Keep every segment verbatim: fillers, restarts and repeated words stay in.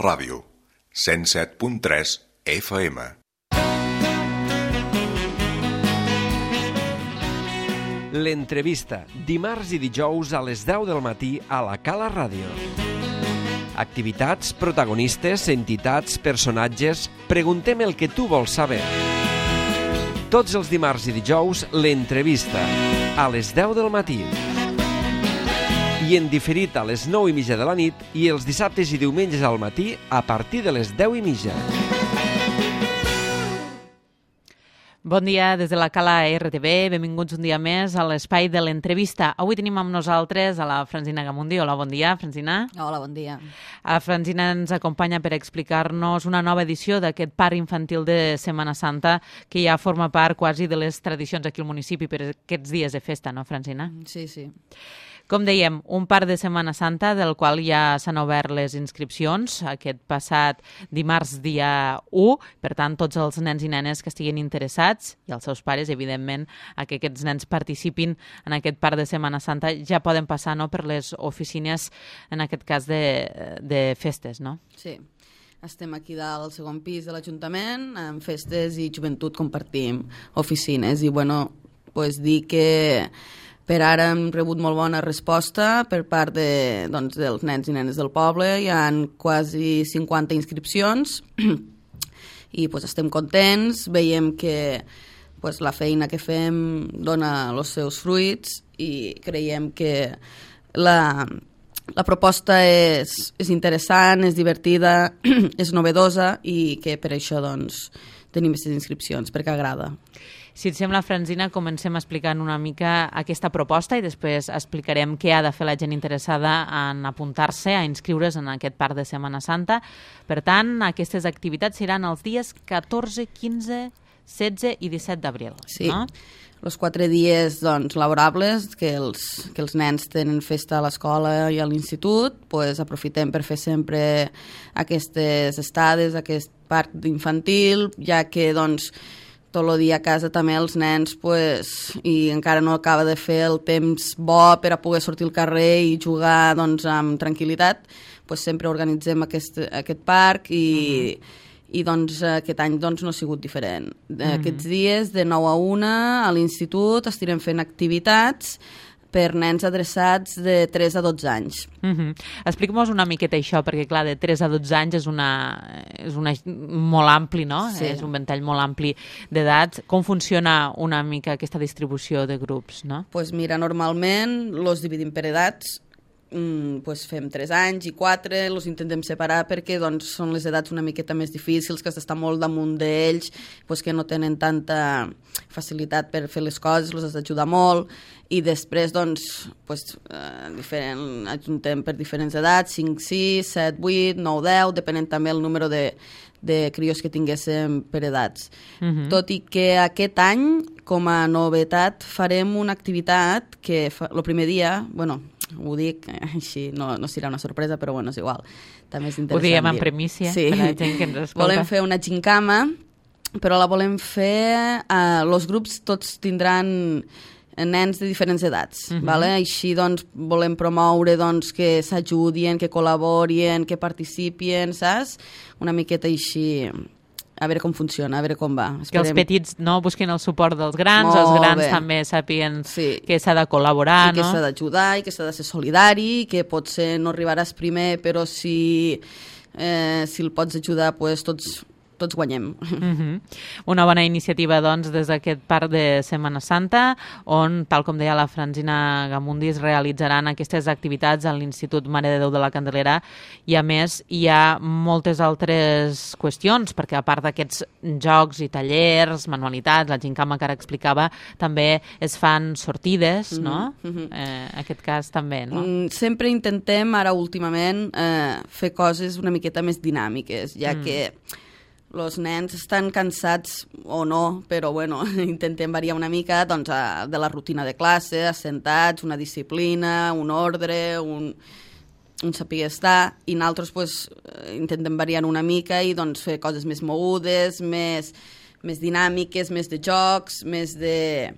Ràdio, cent set punt tres F M. L'entrevista, dimarts i dijous a les deu del matí a la Cala Ràdio. Activitats, protagonistes, entitats, personatges... Preguntem el que tu vols saber. Tots els dimarts i dijous, l'entrevista, a les deu del matí. I en diferit a les nou i mitja de la nit i els dissabtes i diumenges al matí a partir de les deu i mitja. Bon dia des de la Cala R T V, benvinguts un dia més a l'espai de l'entrevista. Avui tenim amb nosaltres a la Francina Gamundi. Hola, bon dia, Francina. Hola, bon dia. La Francina ens acompanya per explicar-nos una nova edició d'aquest parc infantil de Setmana Santa que ja forma part quasi de les tradicions aquí al municipi per aquests dies de festa, no, Francina? Sí, sí. Com dèiem, un parc de Setmana Santa del qual ja s'han obert les inscripcions aquest passat dimarts dia u. Per tant, tots els nens i nenes que estiguin interessats i els seus pares, evidentment, a que aquests nens participin en aquest parc de Setmana Santa ja poden passar, no, per les oficines, en aquest cas de, de festes, no? Sí. Estem aquí dalt al segon pis de l'Ajuntament, en festes i joventut compartim oficines. I, bueno, pues dir que per ara hem rebut molt bona resposta per part de, doncs, dels nens i nenes del poble. Hi ha quasi cinquanta inscripcions i pues, estem contents. Veiem que pues, la feina que fem dona els seus fruits i creiem que la, la proposta és, és interessant, és divertida, és novedosa i que per això doncs, tenim aquestes inscripcions, perquè agrada. Si et sembla, Francina, comencem explicant una mica aquesta proposta i després explicarem què ha de fer la gent interessada en apuntar-se, a inscriure's en aquest parc de Setmana Santa. Per tant, aquestes activitats seran els dies catorze, quinze, setze i disset d'abril. Sí, no? Els quatre dies doncs, laborables que els, que els nens tenen festa a l'escola i a l'institut, pues, aprofitem per fer sempre aquestes estades, aquest parc infantil, ja que doncs, tot el dia a casa també els nens pues, i encara no acaba de fer el temps bo per a poder sortir al carrer i jugar doncs, amb tranquil·litat, pues, sempre organitzem aquest, aquest parc i, uh-huh. i doncs, aquest any doncs, no ha sigut diferent. Uh-huh. Aquests dies de nou a una a l'institut estirem fent activitats per nens adreçats de tres a dotze anys. Uh-huh. Explica-mos una miqueta això, perquè clar, de tres a dotze anys és, una, és una, molt ampli, no? Sí. És un ventall molt ampli d'edats. Com funciona una mica aquesta distribució de grups, no? Pues mira, normalment els dividim per edats, mm, pues fem tres anys i quatre, els intentem separar perquè doncs, són les edats una miqueta més difícils, que has d'estar molt damunt d'ells, pues, que no tenen tanta facilitat per fer les coses, els has d'ajudar molt, i després doncs, pues, eh, diferent, ajuntem per diferents edats, cinc, sis, set, vuit, nou, deu, depenent també el número de, de crios que tinguéssim per edats. Uh-huh. Tot i que aquest any, com a novetat, farem una activitat que fa, el primer dia, bueno, ho dic així, no, no serà una sorpresa, però bueno, és igual. També és interessant. Ho diem en primícia, sí. Per la gent que ens escolta. Volem fer una gincama, però la volem fer... Eh, els grups tots tindran nens de diferents edats. Uh-huh. Vale? Així doncs, volem promoure doncs, que s'ajudin, que col·laborin, que participin, saps? Una miqueta així... A veure com funciona, a veure com va. Esperem. Que els petits no busquin el suport dels grans, molt els grans bé. També sàpiguen sí. Que s'ha de col·laborar, I no? Que s'ha d'ajudar i que s'ha de ser solidari, que potser no arribaràs primer, però si, eh, si el pots ajudar, pues, tots, tots guanyem. Uh-huh. Una bona iniciativa, doncs, des d'aquest parc de Setmana Santa, on, tal com deia la Francina Gamundi, es realitzaran aquestes activitats a l'Institut Mare de Déu de la Candelera i, a més, hi ha moltes altres qüestions, perquè a part d'aquests jocs i tallers, manualitats, la gincama que ara explicava, també es fan sortides, no? Uh-huh. Eh, en aquest cas també, no? Sempre intentem, ara últimament, eh, fer coses una miqueta més dinàmiques, ja mm. que els nens estan cansats o no, però bueno, intentem variar una mica doncs, a, de la rutina de classe, assentats, una disciplina, un ordre, un, un saber estar, i nosaltres pues, intentem variar una mica i doncs, fer coses més mogudes, més, més dinàmiques, més de jocs, més de...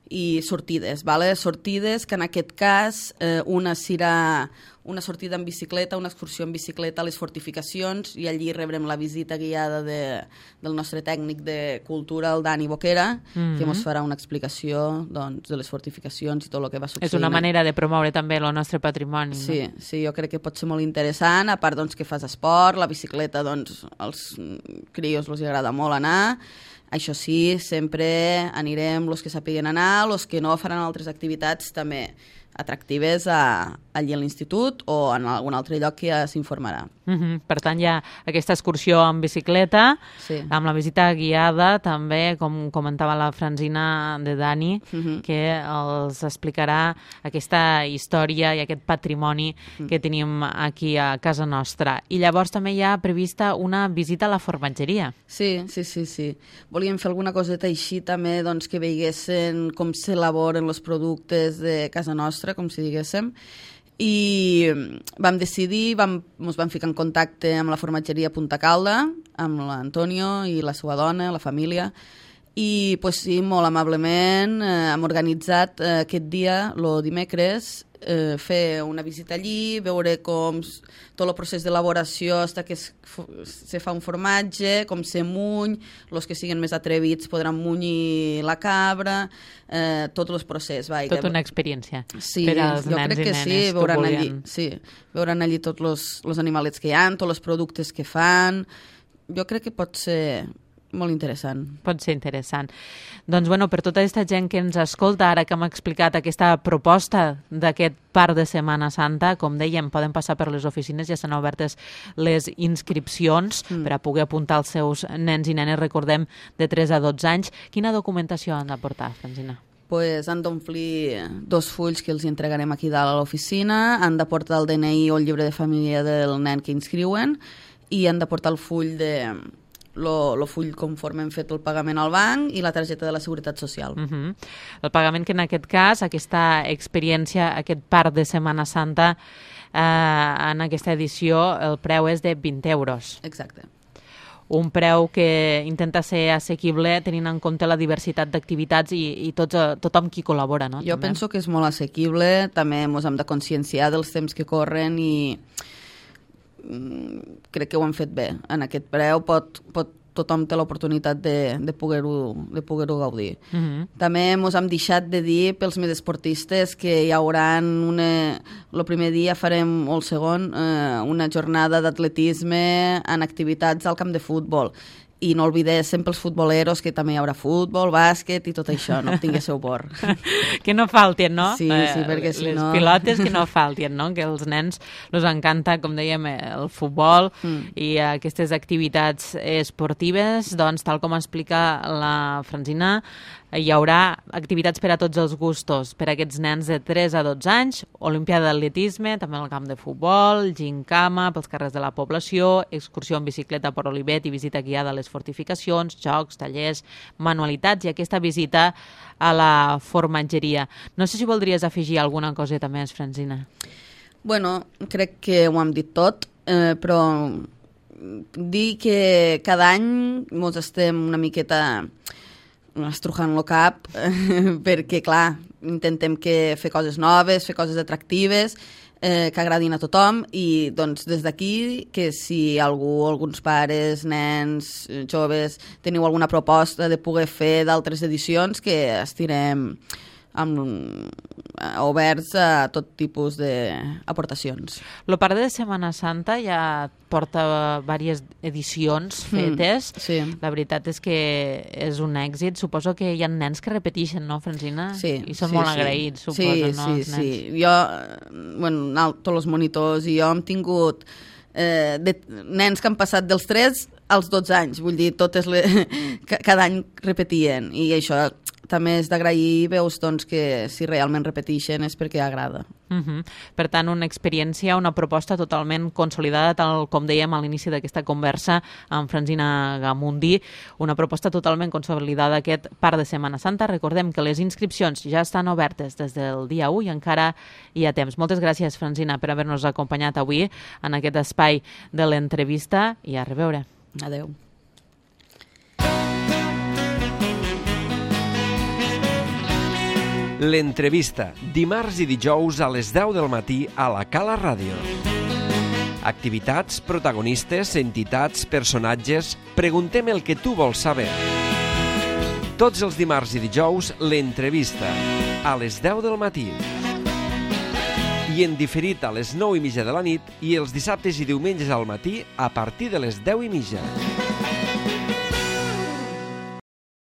i sortides, vale? Sortides que en aquest cas eh, una serà una sortida en bicicleta, una excursió en bicicleta a les fortificacions, i allí rebrem la visita guiada de, del nostre tècnic de cultura, el Dani Boquera, mm-hmm. que ens farà una explicació doncs, de les fortificacions i tot el que va succeir. És una manera de promoure també el nostre patrimoni. Sí, no? sí, jo crec que pot ser molt interessant, a part doncs, que fas esport, la bicicleta, doncs, als crios els agrada molt anar. Això sí, sempre anirem els que sàpiguen anar, els que no faran altres activitats també atractives a, allí a l'institut o en algun altre lloc que ja s'informarà. Mm-hmm. Per tant, hi ha aquesta excursió en bicicleta, sí. amb la visita guiada, també, com comentava la Francina de Dani, mm-hmm. que els explicarà aquesta història i aquest patrimoni mm. que tenim aquí a casa nostra. I llavors també hi ha prevista una visita a la formatgeria. Sí, sí, sí, sí. Volíem fer alguna coseta així també, doncs, que veiessin com s'elaboren els productes de casa nostra, com si diguéssim, i vam decidir, vam, ens vam ficar en contacte amb la formatgeria Punta Calda, amb l'Antonio i la seva dona, la família, i pues, sí, molt amablement eh, hem organitzat eh, aquest dia, el dimecres, eh, fer una visita allí, veure com tot el procés d'elaboració fins que es, se fa un formatge, com se muny, els que siguin més atrevits podran munyir la cabra, eh, tot el procés. Va, Tot una experiència sí, per als jo nens crec i que nenes sí, que veuran volien. allí, sí, veuran allí tots els animalets que hi ha, tots els productes que fan. Jo crec que pot ser molt interessant. Pot ser interessant. Doncs, bueno, per tota aquesta gent que ens escolta, ara que hem explicat aquesta proposta d'aquest parc de Setmana Santa, com dèiem, poden passar per les oficines, ja estan obertes les inscripcions mm. per a poder apuntar els seus nens i nenes, recordem, de tres a dotze anys. Quina documentació han de portar, Francina? Pues han d'omplir dos fulls que els entregarem aquí dalt a l'oficina, han de portar el D N I o el llibre de família del nen que inscriuen i han de portar el full de... el full conforme hem fet el pagament al banc i la targeta de la Seguretat Social. Uh-huh. El pagament que en aquest cas, aquesta experiència, aquest parc de Setmana Santa, eh, en aquesta edició el preu és de vint euros. Exacte. Un preu que intenta ser assequible tenint en compte la diversitat d'activitats i, i tots, tothom qui col·labora, no? Jo també. penso que és molt assequible, també ens hem de conscienciar dels temps que corren i crec que ho han fet bé. En aquest preu pot, pot, tothom té l'oportunitat de, de poder-ho de poder-ho gaudir. Uh-huh. També ens hem deixat de dir pels més esportistes que hi haurà una... el primer dia farem, o el segon, eh, una jornada d'atletisme en activitats al camp de futbol. I no oblidéssim pels futboleros que també hi haurà futbol, bàsquet i tot això, no tinguéssiu por. Que no faltin, no? Sí, sí, perquè si les no... Les pilotes que no faltin, no? Que els nens els encanta, com dèiem, el futbol mm. i aquestes activitats esportives, doncs, tal com explica la Francina, hi haurà activitats per a tots els gustos, per a aquests nens de tres a dotze anys, olimpiada d'atletisme, també al camp de futbol, gincama pels carrers de la població, excursió en bicicleta per Olivet i visita guiada a les fortificacions, jocs, tallers, manualitats i aquesta visita a la formatgeria. No sé si voldries afegir alguna coseta més, Francina. Bueno, crec que ho hem dit tot, eh, però dir que cada any ens estem una miqueta estrujant el cap, perquè, clar, intentem que fer coses noves, fer coses atractives, eh, que agradin a tothom, i doncs des d'aquí, que si algú, alguns pares, nens, joves, teniu alguna proposta de poder fer d'altres edicions, que estirem amb, oberts a tot tipus d'aportacions. El parc de Setmana Santa ja porta diverses edicions fetes. Mm, sí. La veritat és que és un èxit. Suposo que hi ha nens que repeteixen, no, Francina? Sí. I són sí, molt sí. agraïts, suposo, sí, no, sí, els nens? Sí, jo, bueno, tots els monitors i jo hem tingut eh, de, nens que han passat dels tres als dotze anys, vull dir, totes les, cada any repetien, i això també és d'agrair, veus doncs, que si realment repeteixen és perquè agrada. Uh-huh. Per tant, una experiència, una proposta totalment consolidada, tal com dèiem a l'inici d'aquesta conversa amb Francina Gamundi, una proposta totalment consolidada aquest parc de Setmana Santa. Recordem que les inscripcions ja estan obertes des del dia u i encara hi ha temps. Moltes gràcies, Francina, per haver-nos acompanyat avui en aquest espai de l'entrevista i a reveure. Adeu. L'entrevista, dimarts i dijous a les deu del matí a la Cala Ràdio. Activitats, protagonistes, entitats, personatges... Preguntem el que tu vols saber. Tots els dimarts i dijous, l'entrevista, a les deu del matí. I en diferit a les nou i mitja de la nit i els dissabtes i diumenges al matí a partir de les deu i mitja.